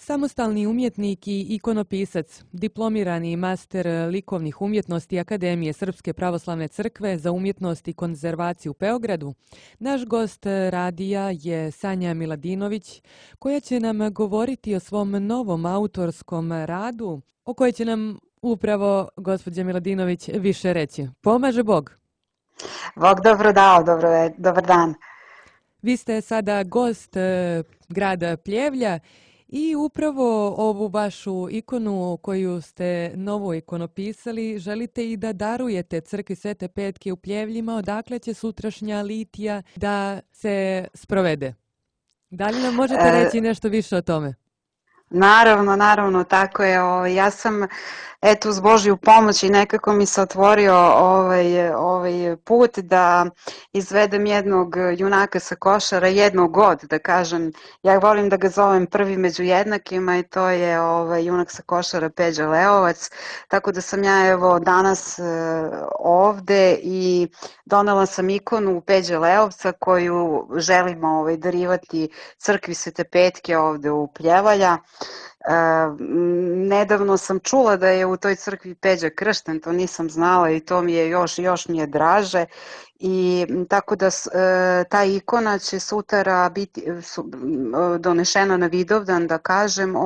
Samostalni umjetnik i ikonopisac, diplomirani master likovnih umjetnosti Akademije Srpske pravoslavne crkve za umjetnost i konzervaciju u Beogradu, naš gost radija je Sanja Miladinović, koja će nam govoriti o svom novom autorskom radu, o kojoj će nam upravo gospođa Miladinović više reći. Pomaže Bog! Bog dobro dao, dobar dan. Vi ste sada gost grada Pljevlja i upravo ovu vašu ikonu koju ste novo ikonopisali želite i da darujete crkvi Svete Petke u Pljevljima, odakle će sutrašnja litija da se sprovede. Da li nam možete reći nešto više o tome? Naravno, tako je. Ja sam, uz Božju pomoć i nekako mi se otvorio ovaj put da izvedem jednog junaka sa Košara, jednog od, da kažem. Ja volim da ga zovem prvi među jednakima i to je junak sa Košara Peđa Leovac. Tako da sam ja evo danas ovde i donela sam ikonu Peđe Leovca koju želimo darivati crkvi Svete Petke ovde u Pljevalja. Nedavno sam čula da je u toj crkvi Peđa kršten, to nisam znala i to mi je još mi je draže i tako da ta ikona će sutra biti donešena na Vidovdan, da kažem,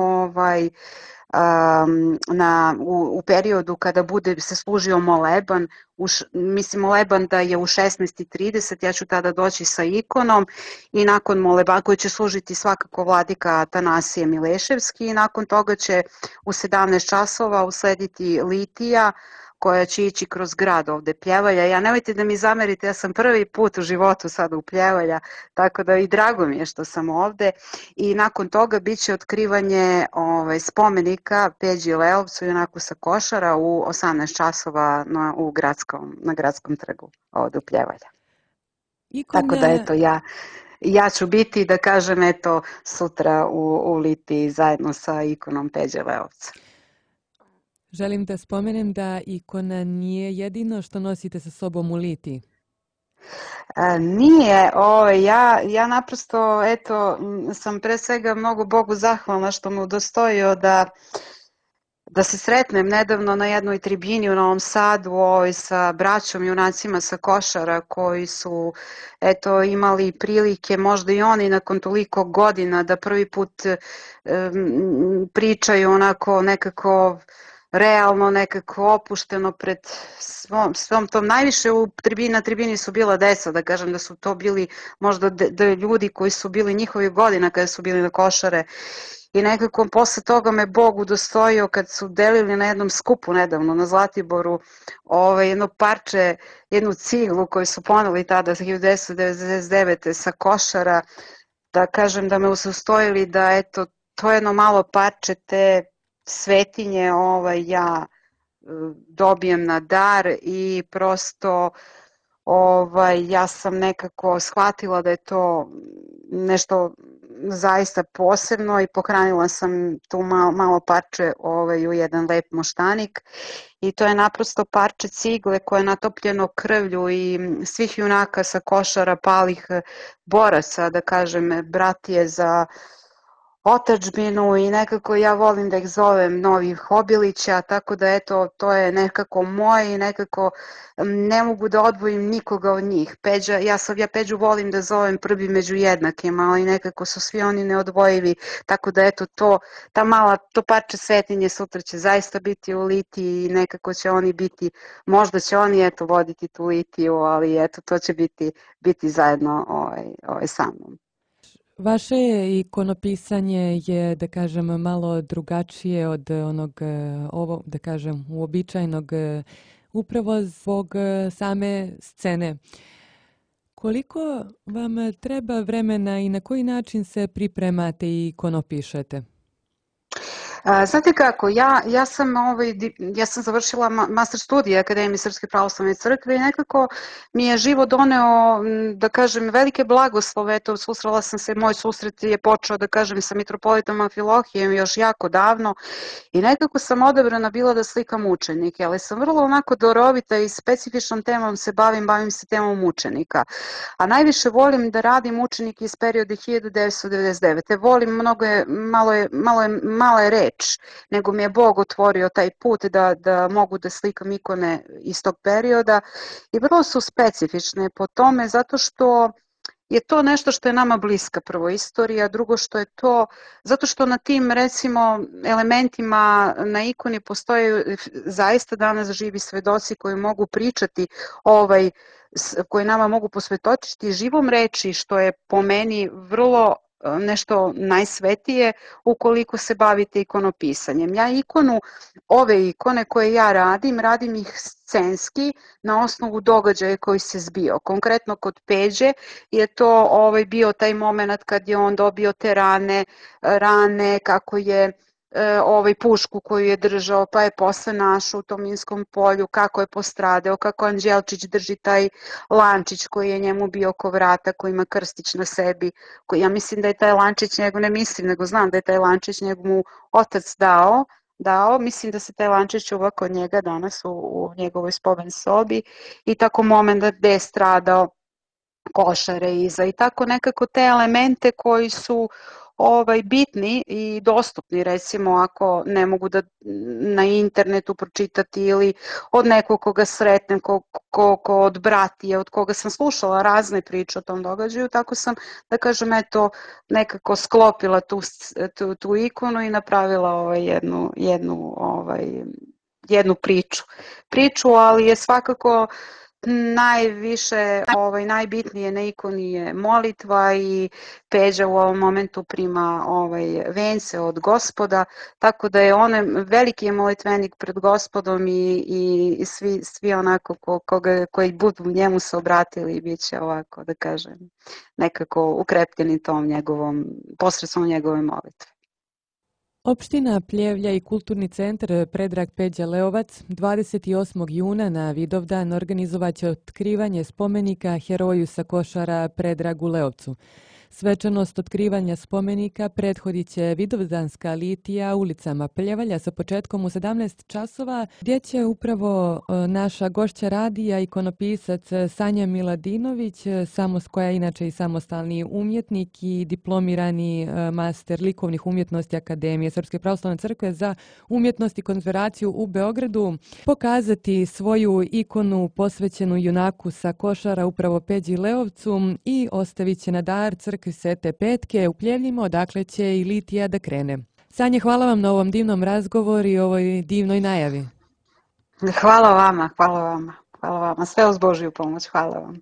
u periodu kada bude se služio moleban, mislim moleban da je u 16:30, ja ću tada doći sa ikonom i nakon moleba koji će služiti svakako vladika Atanasije Mileševski i nakon toga će u 17 časova uslediti litija koja će ići kroz grad ovde Pljevalja. Ja nemojte da mi zamerite, ja sam prvi put u životu sada u Pljevalja, tako da i drago mi je što sam ovde i nakon toga bit će otkrivanje spomenika Peđi Leovcu i junaku sa Košara u 18 časova na gradskom trgu ovde u Pljevalja. Tako da eto ja ću biti, da kažem, eto sutra u litiji zajedno sa ikonom Peđe Leovca. Želim da spomenem da ikona nije jedino što nosite sa sobom u litiji. Nije, ja naprosto, eto, sam pre svega mnogo Bogu zahvalna što me udostojio da se sretnem nedavno na jednoj tribini u Novom Sadu sa braćom junacima sa Košara koji su eto imali prilike možda i oni nakon toliko godina da prvi put pričaju onako nekako realno, nekako opušteno pred svom tom. Najviše na tribini su bila deca, da kažem da su to bili možda ljudi koji su bili njihovih godina kada su bili na Košare i nekako posle toga me Bog udostojio kad su delili na jednom skupu nedavno na Zlatiboru jedno parče, jednu ciglu koju su poneli tada 1999. sa Košara, da kažem da me udostojili da eto to jedno malo parče te svetinje ja dobijem na dar i prosto ja sam nekako shvatila da je to nešto zaista posebno i pohranila sam tu malo parče u jedan lep moštanik i to je naprosto parče cigle koje je natopljeno krvlju i svih junaka sa Košara, palih boraca, da kažem, bratije za otadžbinu i nekako ja volim da ih zovem novih Obilića, tako da eto to je nekako moje i nekako ne mogu da odvojim nikoga od njih. Ja Peđu volim da zovem prvi među jednakima, ali nekako su svi oni neodvojivi, tako da eto to parče svetinje sutra će zaista biti u litiji i nekako će oni biti, možda će oni eto voditi tu litiju, ali eto to će biti zajedno sa mnom. Vaše ikonopisanje je, da kažem, malo drugačije od onog, da kažem, uobičajenog upravo zbog same scene. Koliko vam treba vremena i na koji način se pripremate i ikonopišete? Znate kako, ja sam završila master studije Akademije Srpske pravoslavne crkve i nekako mi je život doneo, da kažem, velike blagoslove. Eto, susrela sam se, moj susret je počeo, da kažem, sa mitropolitom Amfilohijem još jako davno i nekako sam odabrana bila da slikam učenike, ali sam vrlo onako darovita i specifičnom temom se bavim se temom učenika. A najviše volim da radim učenike iz perioda 1999. Volim mala je reč, nego mi je Bog otvorio taj put da mogu da slikam ikone iz tog perioda i vrlo su specifične po tome zato što je to nešto što je nama bliska, prvo istorija, drugo što je to, zato što na tim recimo elementima na ikoni postoje zaista danas živi svedoci koji mogu pričati koji nama mogu posvetočiti živom reči, što je po meni vrlo nešto najsvetije ukoliko se bavite ikonopisanjem. Ove ikone koje ja radim ih scenski na osnovu događaja koji se zbio. Konkretno kod Peđe je to bio taj moment kad je on dobio te rane, kako je pušku koju je držao, pa je posle našao u tom Minskom polju, kako je postradao, kako Anđelčić drži taj lančić koji je njemu bio oko vrata, koji ima krstić na sebi, koji ja mislim da je taj lančić njegov, ne mislim, nego znam da je taj lančić njegov otac dao, mislim da se taj lančić čuva kod njega danas u njegovoj spomen sobi i tako moment gde je stradao košare iza i tako nekako te elemente koji su bitni i dostupni, recimo ako ne mogu da na internetu pročitati ili od nekog koga sretnem, ko od bratije, od koga sam slušala razne priče o tom događaju, tako sam, da kažem, eto, nekako sklopila tu ikonu i napravila jednu priču, ali je svakako najbitnije na ikoni je molitva i Peđa u ovom momentu prima vence od Gospoda, tako da je on veliki je molitvenik pred Gospodom i svi onako koji budu njemu se obratili bit će ovako, da kažem, nekako ukrepljeni tom njegovom, posredstvom njegove molitve. Opština Pljevlja i Kulturni centar Predrag Peđa Leovac 28. juna na Vidovdan organizovaće otkrivanje spomenika heroju sa Košara Predragu Leovcu. Svečanost otkrivanja spomenika prethodit će vidovdanska litija ulicama Pljevalja sa početkom u 17 časova, gdje će upravo naša gošća radija, ikonopisac Sanja Miladinović, koja je inače i samostalni umjetnik i diplomirani master likovnih umjetnosti Akademije Srpske pravoslavne crkve za umjetnost i konzervaciju u Beogradu, pokazati svoju ikonu posvećenu junaku sa Košara, upravo Peđi Leovcu, i ostavit će na dar crkvi Svete Petke u Pljevljima, odakle će i litija da krene. Sanje, hvala vam na ovom divnom razgovoru i ovoj divnoj najavi. Hvala vama. Sve uz Božju pomoć. Hvala vam.